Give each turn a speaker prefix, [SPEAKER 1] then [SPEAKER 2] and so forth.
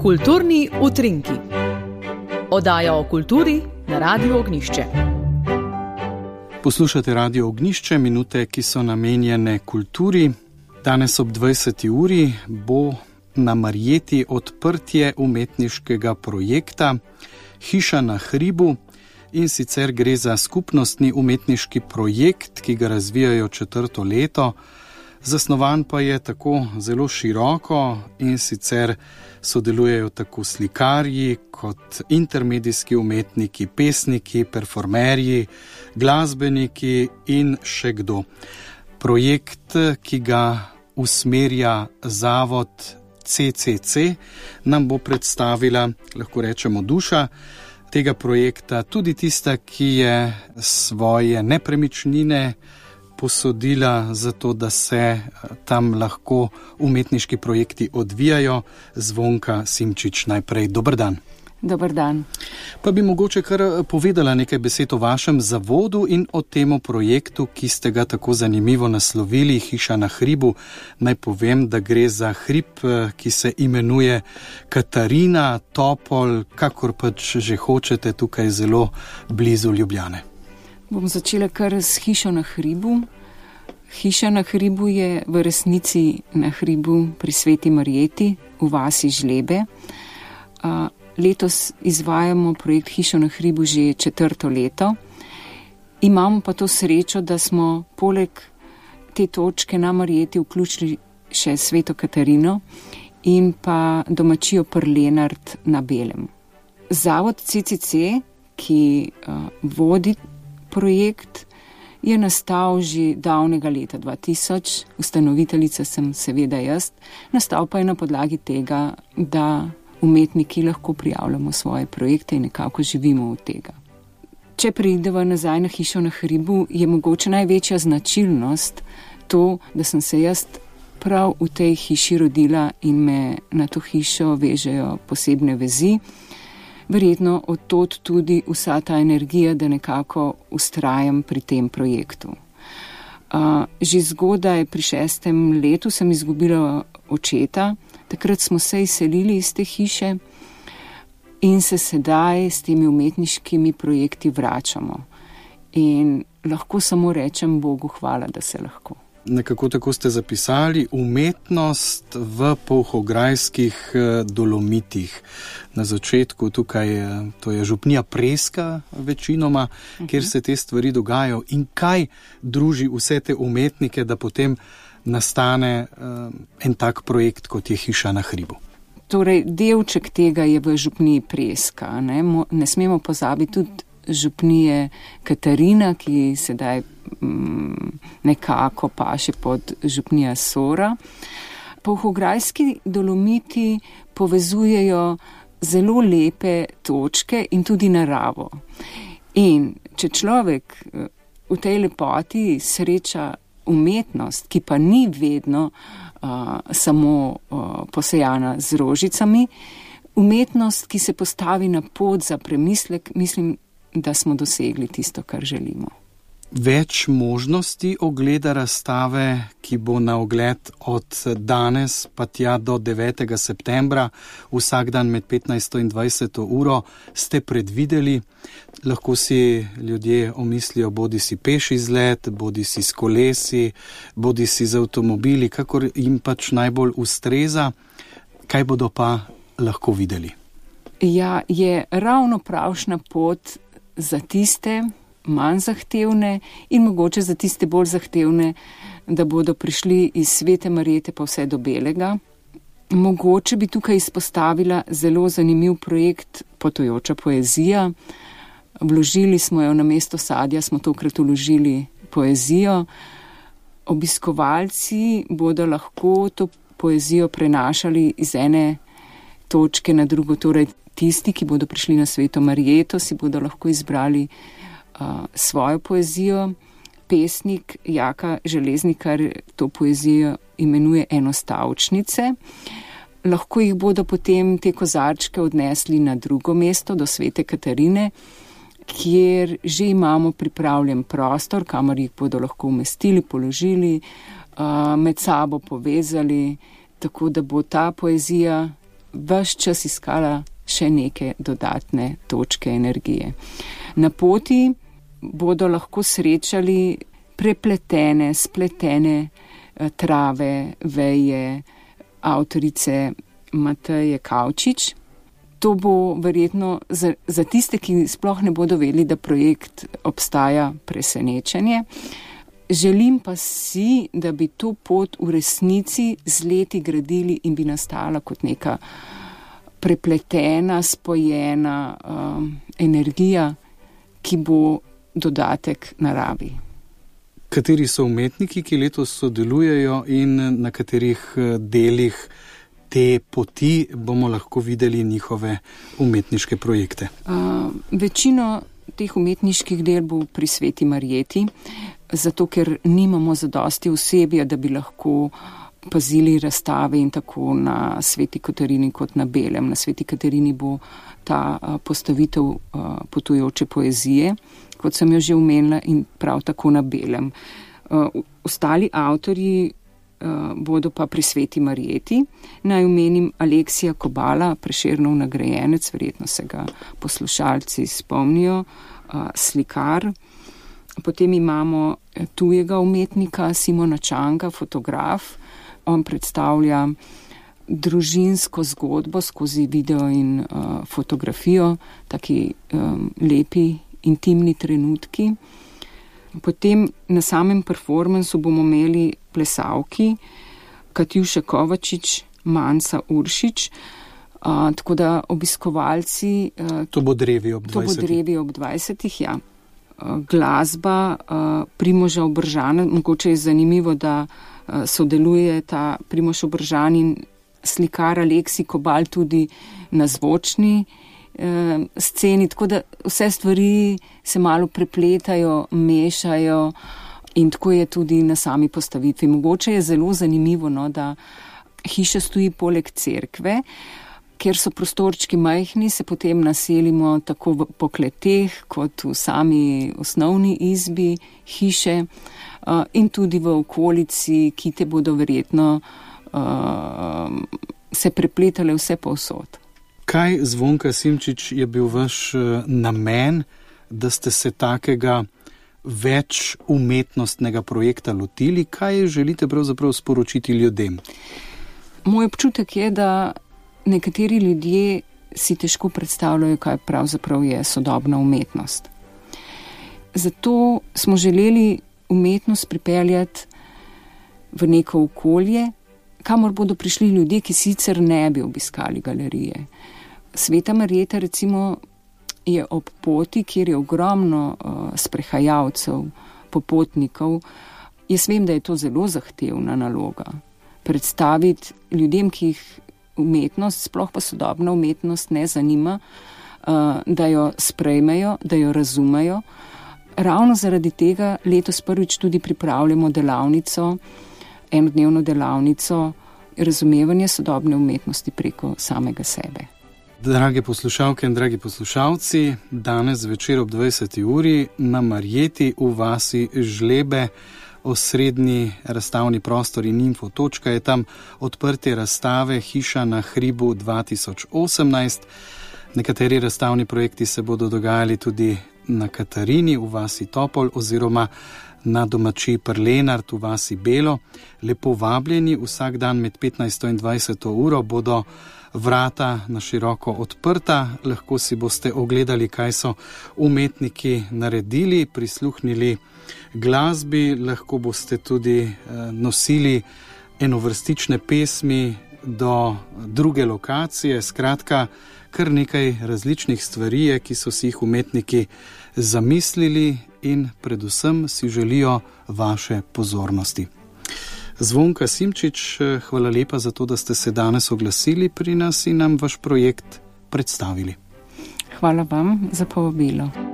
[SPEAKER 1] Kulturni utrinki. Oddaja o kulturi na Radiu Ognjišče.
[SPEAKER 2] Poslušate Radio Ognjišče, minute, ki so namenjene kulturi. Danes ob 20. uri bo na Marjeti odprtje umetniškega projekta Hiša na hribu, in sicer gre za skupnostni umetniški projekt, ki ga razvijajo 4. leto. Zasnovan pa je tako zelo široko, in sicer sodelujejo tako slikarji kot intermedijski umetniki, pesniki, performerji, glasbeniki in še kdo. Projekt, ki ga usmerja zavod CCC, nam bo predstavila, lahko rečemo, duša tega projekta, tudi tista, ki je svoje nepremičnine posodila za to, da se tam lahko umetniški projekti odvijajo. Zvonka Simčič, najprej dober dan.
[SPEAKER 3] Dober dan.
[SPEAKER 2] Pa bi mogoče kar povedala nekaj besed o vašem zavodu in o temu projektu, ki ste ga tako zanimivo naslovili, Hiša na hribu. Naj povem, da gre za hrib, ki se imenuje Katarina, Topol, kakor pač že hočete, tukaj zelo blizu Ljubljane.
[SPEAKER 3] Bom začela kar s Hišo na hribu. Hiša na hribu je v resnici na hribu pri Sveti Marjeti v vasi Žlebe. Letos izvajamo projekt Hišo na hribu že 4. leto. Imamo pa to srečo, da smo poleg te točke na Marjeti vključili še Sveto Katarino in pa domačijo Prlenart na Belem. Zavod CCC, ki vodi projekt, je nastal že davnega leta 2000, ustanoviteljica sem seveda jaz, nastal pa je na podlagi tega, da umetniki lahko prijavljamo svoje projekte in nekako živimo od tega. Če prideva nazaj na Hišo na hribu, je mogoče največja značilnost to, da sem se jaz prav v tej hiši rodila in me na to hišo vežejo posebne vezi. Verjetno od tod tudi vsa ta energija, da nekako vztrajam pri tem projektu. Že zgodaj pri 6. letu sem izgubila očeta. Takrat smo se izselili iz te hiše in se sedaj s temi umetniškimi projekti vračamo. In lahko samo rečem Bogu hvala, da se lahko.
[SPEAKER 2] Nekako tako ste zapisali, umetnost v Polhograjskih Dolomitih. Na začetku tukaj, to je župnija Preska večinoma, kjer se te stvari dogajajo. In kaj druži vse te umetnike, da potem nastane en tak projekt, kot je Hiša na hribu?
[SPEAKER 3] Torej, delček tega je v župniji Preska. Ne smemo pozabiti tudi župnije Katarina, ki sedaj nekako paše pod župnija Sora. Polhograjski Dolomiti povezujejo zelo lepe točke in tudi naravo. In če človek v tej lepoti sreča umetnost, ki pa ni vedno samo posejana z rožicami, umetnost, ki se postavi na pot za premislek, mislim, da smo dosegli tisto, kar želimo.
[SPEAKER 2] Več možnosti ogleda razstave, ki bo na ogled od danes pa tja do 9. septembra, vsak dan med 15. in 20. uro, ste predvideli. Lahko si ljudje omislijo bodi si peš izlet, bodi si s kolesi, bodi si z avtomobili, kakor jim pač najbolj ustreza. Kaj bodo pa lahko videli?
[SPEAKER 3] Ja, je ravno pravšna pot za tiste manj zahtevne in mogoče za tiste bolj zahtevne, da bodo prišli iz Svete Marjete pa vse do Belega. Mogoče bi tukaj izpostavila zelo zanimiv projekt Potujoča poezija. Vložili smo jo na mesto sadja, smo tokrat vložili poezijo. Obiskovalci bodo lahko to poezijo prenašali iz ene točke na drugo, torej tisti, ki bodo prišli na Sveto Marjeto, si bodo lahko izbrali svojo poezijo. Pesnik Jaka Železnikar to poezijo imenuje enostavčnice. Lahko jih bodo potem te kozarčke odnesli na drugo mesto, do Svete Katarine, kjer že imamo pripravljen prostor, kamor jih bodo lahko umestili, položili, med sabo povezali, tako da bo ta poezija ves čas iskala še neke dodatne točke energije. Na poti bodo lahko srečali prepletene, spletene trave, veje avtorice Mateje Kavčič. To bo verjetno za tiste, ki sploh ne bodo vedeli, da projekt obstaja, presenečenje. Želim pa si, da bi to pot v resnici z leti gradili in bi nastala kot neka prepletena, spojena energija, ki bo dodatek naravi.
[SPEAKER 2] Kateri so umetniki, ki letos sodelujejo in na katerih delih te poti bomo lahko videli njihove umetniške projekte?
[SPEAKER 3] Večino teh umetniških del bo pri Sveti Marjeti, zato ker nimamo zadosti osebja, da bi lahko pazili razstave in tako na Sveti Katarini kot na Belem. Na Sveti Katarini bo ta postavitev potujoče poezije, kot sem jo že omenila, in prav tako na Belem. Ostali avtorji bodo pa pri Sveti Marjeti. Naj omenim Aleksija Kobala, Prešernov nagrajenec, verjetno se ga poslušalci spomnijo, slikar. Potem imamo tujega umetnika Simona Čanga, fotograf. On predstavlja družinsko zgodbo skozi video in fotografijo, taki lepi, intimni trenutki. Potem na samem performansu bomo imeli plesalki Katjuša Kovačič, Manca Uršič, tako da obiskovalci...
[SPEAKER 2] To bo drevi ob 20.
[SPEAKER 3] To bo drevi ob 20, ja. Glasba Primoža Obržana, mogoče je zanimivo, da sodeluje ta Primož Obržan in slikar Aleksij Kobal tudi na zvočni sceni, tako da vse stvari se malo prepletajo, mešajo in tako je tudi na sami postavitvi. Mogoče je zelo zanimivo, no, da hiša stoji poleg cerkve, ker so prostorčki majhni, se potem naselimo tako po kleteh kot v sami osnovni izbi hiše in tudi v okolici, ki te bodo verjetno se prepletale vse povsod.
[SPEAKER 2] Kaj, Zvonka Simčič, je bil vaš namen, da ste se takega več umetnostnega projekta lotili? Kaj želite pravzaprav sporočiti ljudem?
[SPEAKER 3] Moj občutek je, da nekateri ljudje si težko predstavljajo, kaj pravzaprav je sodobna umetnost. Zato smo želeli umetnost pripeljati v neko okolje, kamor bodo prišli ljudje, ki sicer ne bi obiskali galerije. Sveta Marjeta recimo je ob poti, kjer je ogromno sprehajalcev, popotnikov. Jaz vem, da je to zelo zahtevna naloga. Predstaviti ljudem, ki jih umetnost, sploh pa sodobna umetnost ne zanima, da jo sprejmejo, da jo razumejo. Ravno zaradi tega letos prvič tudi pripravljamo delavnico, enodnevno delavnico razumevanja sodobne umetnosti preko samega sebe.
[SPEAKER 2] Drage poslušalke in dragi poslušalci, danes večer ob 20. uri na Marjeti v vasi Žlebe, osrednji razstavni prostor in infotočka je tam odprtje razstave Hiša na hribu 2018. Nekateri razstavni projekti se bodo dogajali tudi na Katarini v vasi Topol oziroma na domači Prlenart v vasi Belo. Lepo vabljeni, vsak dan med 15. in 20. uro bodo vrata na široko odprta, lahko si boste ogledali, kaj so umetniki naredili, prisluhnili glasbi, lahko boste tudi nosili enovrstične pesmi do druge lokacije, skratka, kar nekaj različnih stvari je, ki so si jih umetniki zamislili in predvsem si želijo vaše pozornosti. Zvonka Simčič, hvala lepa za to, da ste se danes oglasili pri nas in nam vaš projekt predstavili.
[SPEAKER 3] Hvala vam za povabilo.